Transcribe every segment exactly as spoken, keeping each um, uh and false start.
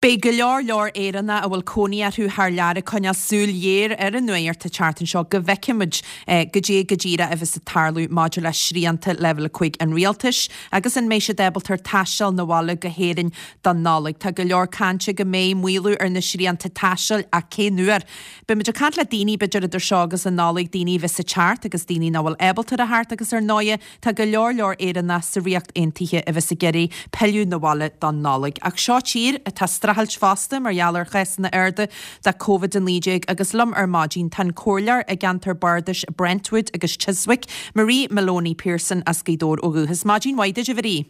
Beidh go leor leor Éireannach a bhfuil cónaí orthu thar lear ag coinneáil súil ghéar ar an nuacht an tseachtain seo go bhfeicfimid goidé go díreach a bheas ag tarlú maidir le srianta Leibhéal a cúig an rialtais agus an mbeidh siad ábalta taisteal 'na bhaile go hÉirinn don Nollaig. Tá go leor cainte go mbeidh maolú ar na srianta taistil ach cén uair? Beimid ag caint le daoine b'fhéidir idir seo agus an Nollaig, daoine a bheas ag teacht agus daoine nach bhfuil ábalta a theacht agus ar ndóighe tá go leor leor Éireannach sa Ríocht Aontaithe a bheas ag iarraidh pilleadh 'na bhaile don Nollaig. Ach seo tír atá ag streachailt fosta mar gheall ar chásanna arda de Covid a naoi déag agus liom ar maidin tá an comhairleoir i gceantar Bardais Brentwood agus Chiswick, Marie Moloney Pearson as Gaoth Dobhair ó dhúchas. Maidin mhaith duit, a Mharie.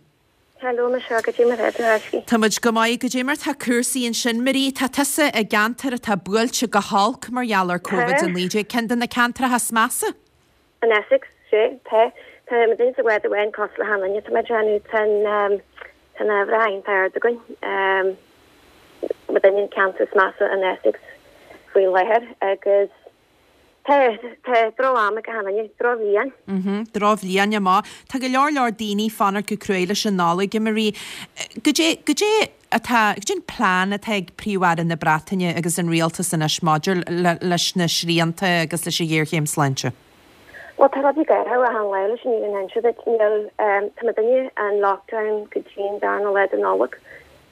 Hello, Michelle, goidé mar atá tú? Tá muid go maith, goidé mar tá cúrsaí ansin, Marie. Tá tusa i gceantar atá buailte go holc mar gheall ar Covid a naoi déag, ceann de na ceantracha is measa? In Essex, sea, tá. Tá muid sa bhád amháin cosúil le achan duine, tá mé ag déanamh, tá an, tá an uimhir iontach ard againn. Muidinne an ceantar is measa in Essex faoi láthair agus tá, tá droch-am ag achan duine, drochbhliain. Mhm, drochbhliain amach. Tá go leor leor daoine ag fanacht go cruaidh leis an Nollaig, a Marie. Goidé, goidé atá, goidé an plean atá ag Príomh-Aire na Breataine agus an rialtas anois maidir le, leis na srianta agus leis an ghéarchéim sláinte? Bhuel, tá rudaí ag athrú achan lá leis an fhírinne a inse duit. Níl, tá muidinne in lockdown go dtí an darna lá de Nollaig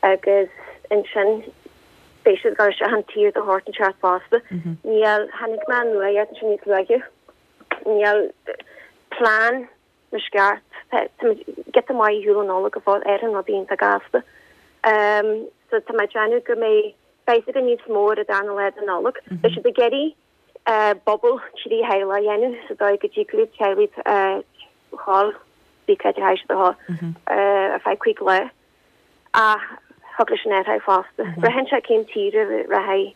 agus ansin beidh siad ag dul isteach an tír de shórt inteacht fosta. Níl, chonaic mé an nuacht ansin níos luaithe, níl plean na sceart, tá muid giota maith ar shiúl ón Nollaig go fóill, athraíonn rudaí iontach gasta. So tá mé ag déanamh go mbeidh, beidh a fhios againn níos mó ar an darna lá de Nollaig. Beidh siad ag iarraidh bubble trí theaghlach a dhéanamh sa dóigh go dtig le teaghlaigh a dhul, bí cá háit a dhul ar feadh cúig lá ach thug leis an athrú fosta. Braitheann sé cén tír a rachaidh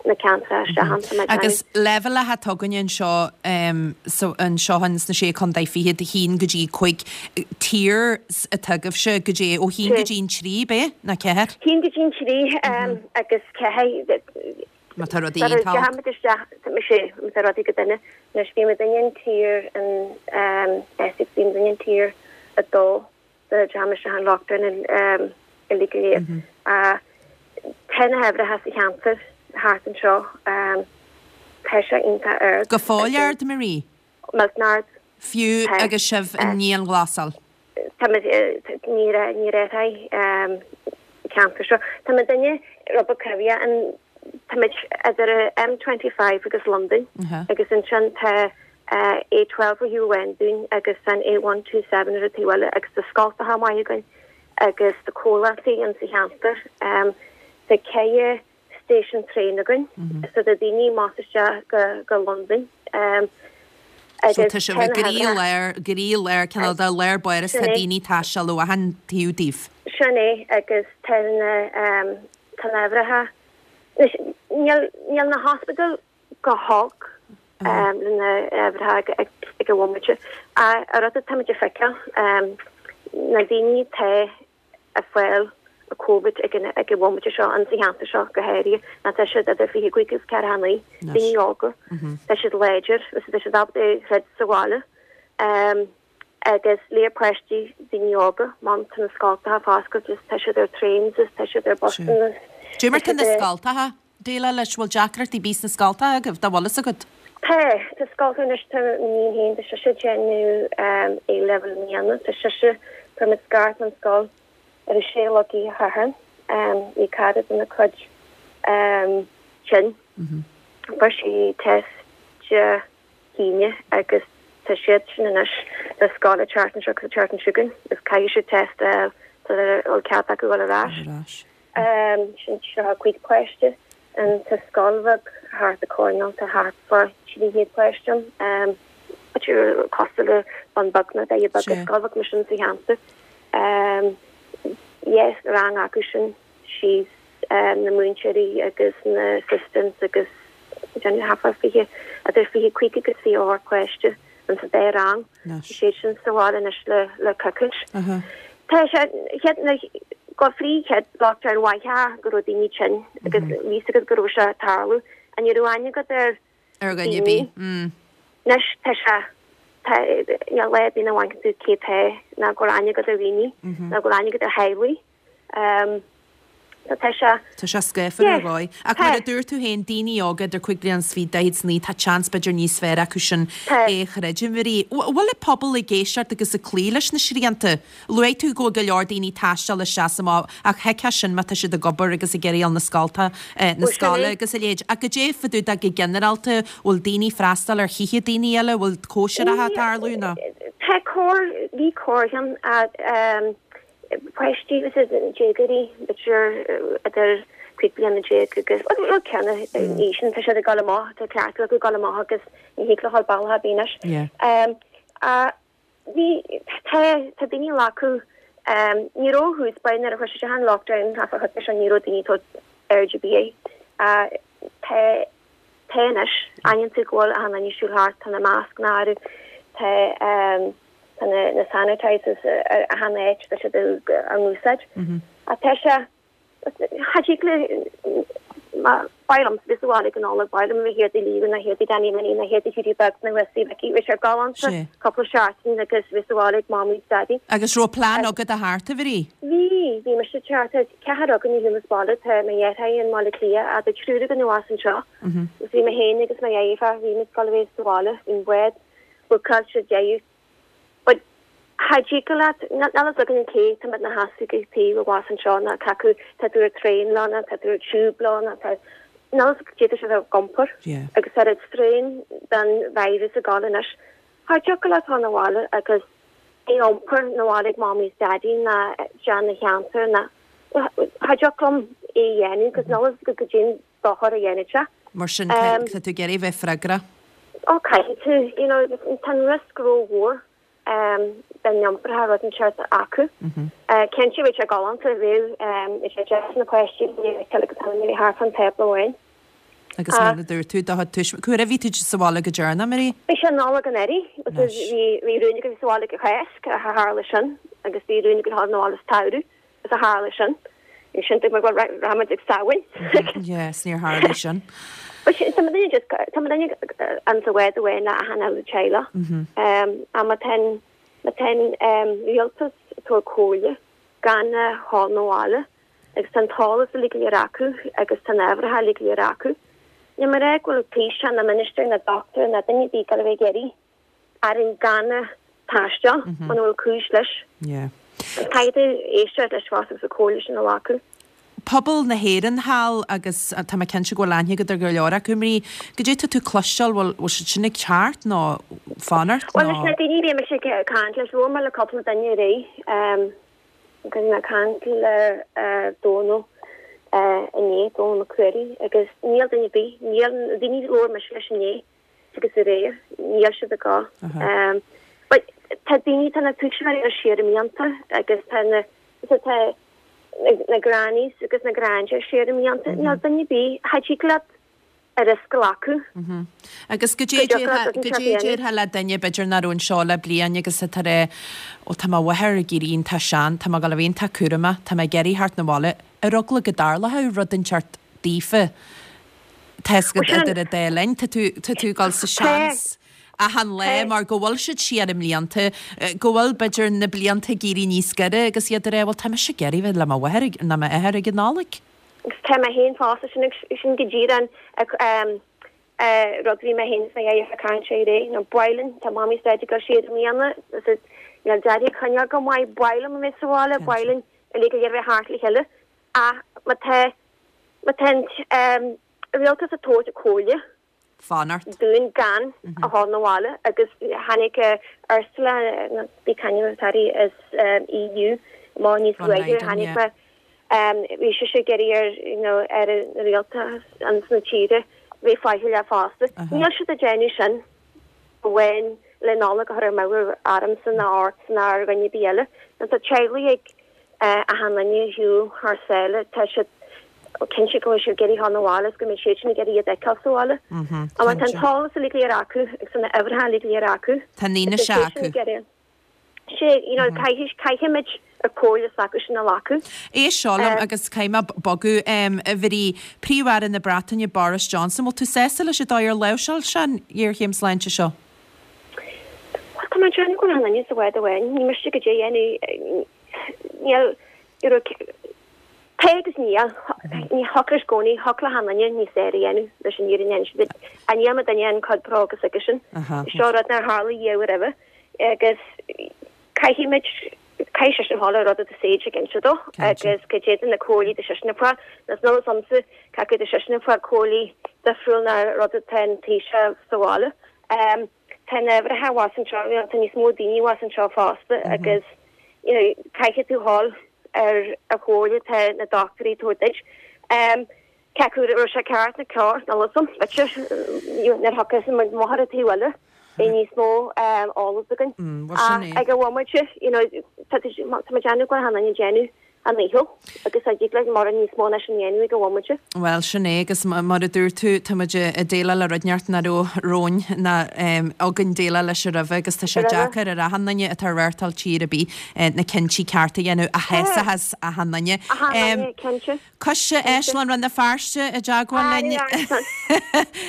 na ceantracha isteach ann, tá mé ag déanamh. Agus leibhéalacha atá againne anseo anseo sna Sé Chontae Fichead, a haon go dtí cúig, tier atá agaibhse goidé ó haon go dtí an trí, ab é? Nó ceathair? Haon go dtí an trí agus ceathair. Má tá rudaí iontach. Deachaigh muid isteach, mise, má tá rudaí go dona. Anois bhí muidinne in tier in Essex, bhí muidinne in tier a dó nuair a deachaigh muid isteach in lockdown uilig go léir. Tá na huimhreacha sa cheantar thart anseo, tá sé iontach ard. Go fóill ard, Marie? Millteanach ard. Fiú agus sibh i ndianghlasáil? Tá muid, níor, níor athraigh an ceantar seo. Tá muidinne rud beag coimhthíoch, an, tá muid idir M twenty five agus Londain agus ansin tá A twelve ar thaobh amháin dúinn agus an A one two seven ar an taobh eile agus tá scoltacha maith againn agus tá comhlachtaí in sa cheantar. Tá ceithre station traein againn so tá daoine más isteach go go Londain So tá sibh i gcroílár, gcroílár, cineál de lár báire is tá daoine ag taisteal ó achan taobh daoibh. Sin é agus tá na tá na huimhreacha anois níl níl na hospidéil go holc le na huimhreacha ag ag an bhomaite ach an rud atá muid ag feiceáil na daoine atá ag fáil an Covid ag an ag an bhomaite seo in sa cheantar seo go háirithe ná tá siad idir fiche cúig agus ceathracha naoi, daoine óga, tá siad láidir agus tá siad ábalta troid sa bhaile agus léir páistí, daoine óga, má tá na scoltacha foscailte is tá siad ar trains is tá siad ar busanna. Cad é mar tá na scoltacha ag déileáil leis, bhfuil deacrachtaí ar bith sna scoltacha agaibh, dá bhfuil fhios agat? Tá, tá scoltacha anois, tá m'iníon féin, tá sise ag déanamh A-level i mbliana, tá sise, fuair muid scairt ón scoil ar a sé a chlog oíche Shathairn, bhí cara de na cuid tinn, fuair sí test Dé hAoine agus tá siad sin anois le scoil an tseachtain seo agus an tseachtain seo chugainn agus caithfidh siad test a fháil sula bhfuil cead acu dul ar ais. Sin tríocha cúig páiste in sa scoil bheag thart ag coirnéal, tá thart fá trí chéad páiste ann, cosúil le Bun Beag nó Doire Beaga, scoil bheag mar sin sa cheantar. Yes, rang acu sin síos na múinteoirí agus na assistants agus déanamh thart fá fiche, idir fiche cúig agus fiche ocht páiste in sa dá rang. Tá siad sin sa bhaile anois le le coicís. Tá sé chéad na go frí chéad lockdown mhaith go raibh daoine tinn agus bhí fhios agat go raibh sé ag tarlú. An ní raibh aithne agat ar Ar dhuine ar bith. Anois tá sé tá níl lá ar bith nach bhfeiceann tú cé tá ná go raibh aithne agat ar dhaoine ná go raibh aithne agat ar theaghlaigh. So tá sé. Tá sé scáfar ar dhóigh. Ach mar a dúirt tú féin, daoine óga idir cúig bliana is fiche, daichead is naoi, tá seans b'fhéidir níos fearr acu sin é a chreidiúint. Marie, bhfuil an pobal ag éisteacht agus ag cloí leis na srianta? Luaigh tú go bhfuil go leor daoine ag taisteal isteach is amach ach thuigfeá sin má tá siad ag obair agus ag iarraidh dul na scolta, na scoile agus a leithéid. Ach goidé fá dtaobh de go ginearálta, bhfuil daoine ag freastal ar thithe daoine eile, bhfuil cóisireacha ag tarlú nó? Tá corr, bhí corrcheann páistí agus déagóirí, b'fhéidir idir cúig bliana déag agus, bhuel, ceann na aois sin, tá siad ag dul amach, tá cleachtadh acu dul amach agus ní thig leo dul bealach ar bith anois. Bhí, tá, tá daoine ag glacadh, ní raibh thuas, ba nuair a chuir siad an lockdown, caithfear a chuid sin, ní raibh daoine ag tabhairt aird ar bith air. Tá, tá anois, aithníonn tú go bhfuil achan duine ag siúl thart, tá na mascanna orthu, tá, Tá na sanitizers ar achan áit, tá siad á n-úsáid. Ach tá sé, cha dtig le, ba mhaith liom bheith sa bhaile ag an Nollaig, ba mhaith liom a bheith thiar i Leevin, nó thiar i Danny Minnie, nó thiar i Hughie Beag, nó Wesley Mhicí, bhí sé galánta cúpla seachtain agus bheith sa bhaile ag Mamaí is Daidí. Agus raibh plean agat a theacht, a Mharie? Bhí, bhí mise ag teacht, tá ceathrar againn a shiúl as baile, tá mo dheartháir i mBaile Átha Cliath, ach tá triúr againn abhus anseo. Agus bhí mé féin agus mo dheirfiúr, bhí muid ag dul a bheith sa bhaile, bhí an bád bookáilte, deireadh. But cha dtig leat, níl a fhios againn cé tá muid 'na sheasamh ag taobh abhus anseo ná cé acu tá tú ar traein leo ná tá tú ar tube leo ná tá, níl a fhios agat cad é tá siad ag iompar agus tá an strain den virus ag dul anois. Cha dtiocfadh leat dhul 'na bhaile agus é a iompar 'na bhaile ag Mamaí is Daidí ná isteach 'na cheantar ná, cha dtiocfadh liom é a dhéanamh agus níl a fhios agat goidé an dochar a dhéanfaidh sé. Mar sin, tá tú ag iarraidh bheith freagrach. Ó, caithfidh tú, you know, tá an riosca rómhór den iompar rud inteacht acu. Cinnte bheadh sé galánta, bheadh, bheadh sé deas na páistí a fheiceáil agus a bheith thart fán tábla amháin. Agus mar a dúirt tú, do chuid tuismitheoirí, cá huair a bhí tú sa bhaile go deireanach, Marie? Bhí sé Nollaig anuraidh, agus bhí, bhí rún againn sa bhaile ag an Cháisc, ach tharla sin, agus bhí rún againn dhul 'na bhaile sa tsamhradh. Is a tharla sin. Bhí sin ag bhuel rachaimid ag Samhain. Yes, níor tharla sin. But sin tá muidinne just tá muidinne an sa bhád amháin le achan uile teaghlach. Ach má tá an má tá an rialtas ag tabhairt comhairle gan a dhul 'na bhaile agus tá an t-eolas uilig go léir acu agus tá na huimhreacha uilig go léir acu. Níl mé ag rá go bhfuil taoiseach ná minister ná doctor ná duine ar bith ag dul a bheith ag iarraidh orainn gan a taisteal muna bhfuil cúis leis. Yeah. Caithfidh tú éisteacht leis fosta agus an comhairle sin a ghlacadh. Pobal na hÉireann thall agus tá mé cinnte go bhfuil aithne agat ar go leor acu, Marie. Goidé tá tú cloisteáil, bhfuil bhfuil siad sin ag teacht nó fanacht Bhuel nó? leis na daoine a bhí mise ag caint leis, labhair mé le cúpla duine aréir, agus bhí mé ag caint le Dónal inné, Dónal Mac Ruairí, agus níl duine ar bith, níl na daoine a labhair mise leis inné, agus aréir, níl siad ag gabháil. But tá daoine, tá na tuismitheoirí siar i mblianta agus tá na, so tá na grannies agus na grandads siar i mblianta. Níl duine ar bith, cha dtig leat an riosca a ghlacadh. Agus goidé a déarfá le duine b'fhéidir nach raibh anseo le bliain agus atá ag rá, ó tá mo mháthair ag éirí iontach sean, tá mé ag dul a bheith iontach cúramach, tá mé ag iarraidh theacht 'na bhaile, ar eagla go dtarlódh rud inteacht daofa. Tá a fhios agat idir an dá linn, tá tú, tá tú ag dul sa seans achan lá mar go bhfuil siad siar i mblianta, go bhfuil b'fhéidir na blianta ag éirí níos giorra agus iad ag rá bhuel tá mise ag iarraidh bheith le mo mháthair nó m'athair ag an Nollaig. Agus tá mé féin fosta, sin, sin go díreach an rud a bhí mé féin is mo dheartháir ag caint air aréir, nó ba mhaith linn, tá Mamaí is Daidí ag dul siar i mbliana, agus níl Daidí ag coinneáil go maith, ba mhaith liom a bheith sa bhaile, ba mhaith linn uilig a bheith thart le chéile, ach má tá, má tá an rialtas ag tabhairt comhairle Fanacht. dúinn gan a dhul 'na bhaile agus tháinig Ursula nó bí cainneann Tari as EU amach níos luaithe tháinig mé bhí sise ag iarraidh ar you know ar an rialtas ins na tíre bheith faichilleach fosta. Níl siad ag déanamh sin amháin le Nollaig a chur amú ormsa ná ortsa ná ar dhuine ar bith eile. Nó tá teaghlaigh ag achan duine a shiúl thar sáile, tá siad cinnte go bhfuil siad ag iarraidh dhul 'na bhaile is go mbeidh siad sin ag iarraidh iad a fheiceáil sa bhaile. Ach tá an t-eolas uilig go léir acu agus na huimhreacha uilig go léir acu. Tá an fhianaise acu. Sé, you know, caithfidh, caithfimid an chomhairle s'acu sin a ghlacadh. Éist seo liom agus caithfidh mé bogadh, a Mharie, Príomh-Aire na Breataine Boris Johnson, bhfuil tú sásta leis an dóigh ar láimhseáil sé an ghéarchéim sláinte seo? Bhuel, tá mé ag déanamh go bhfuil achan duine sa bhád amháin, ní miste goidé a dhéanamh, níl, you know, Tá agus níl. Ní thiocfadh i gcónaí, thiocfadh le achan duine níos fearr a dhéanamh leis an fhírinne a inse duit. Ach níl mo duine an quid pro agus aige sin. Seo rud nár tharla riamh roimhe agus caithfidh muid, caithfidh seisean a ghabháil ar rud atá Sage ag inse dó agus go dtéann na comhairlí do seisean ag fáil, nó níl fhios a'msa cé acu do seisean ag fáil comhairlí difriúil ná rud atá an Taoiseach sa bhaile. Tá na uimhreacha abhus anseo, tá níos mó daoine abhus anseo fosta agus you know caithfidh tú ghabháil ar an chomhairle atá na dochtúirí ag tabhairt duit. Cé acu raibh sé ceart nó cearr, níl fhios a'm, b'fhéidir nuair a thiocfas muid amach ar an taobh eile beidh níos mó eolas againn. Ach ag an bhomaite, you know, tá tá muid déanamh go bhfuil achan duine ag déanamh a ndícheall agus a dtig linn mórán níos mó ná sin a dhéanamh ag an bhomaite. Bhuel, sin é, agus mar a dúirt tú, tá muid ag déileáil le rud inteacht nach raibh romhainn ná againn déileáil leis roimhe agus tá sé deacair ar achan duine atá ag reáchtáil tír ar bith na cinntí cearta a dhéanamh a shásaíos achan duine. Achan duine, cinnte. Coiste Áislann Rann na Feirste i dteagmháil linn.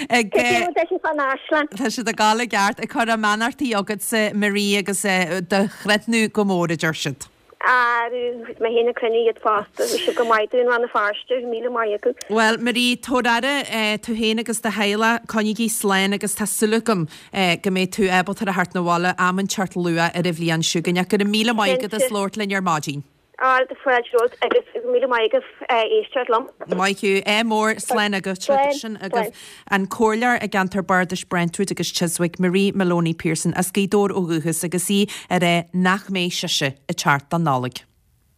Ag. Cad é fán áislann? Tá siad ag gabháil i gceart, ag cur a mbeannachtaí chugatsa Marie agus do chrothú go mór, a deir siad. Arú, mé féin ag croitheadh iad fosta. Bhí siad go maith dúinn Rann na Feirste, míle maith acu. Bhuel, Marie, tabhair aire tú féin agus do theaghlach, coinnígí slán agus tá súil agam go mbeidh tú ábalta a theacht 'na bhaile am inteacht luath ar an bhliain seo chugainn. Ach go raibh míle maith agat as Cinnte. labhairt linn ar maidin. Á, tá fáilte romhat agus míle maith agaibh éisteacht liom. Maith thú. Ádh mór, slán agat. Slán, Sin slán. agaibh an comhairleoir i gceantar Bardais Brentwood agus Chiswick, Marie Moloney Pearson, as Gaoth Dobhair ó dhúchas agus í ag rá nach mbeidh sise ag teacht don Nollaig.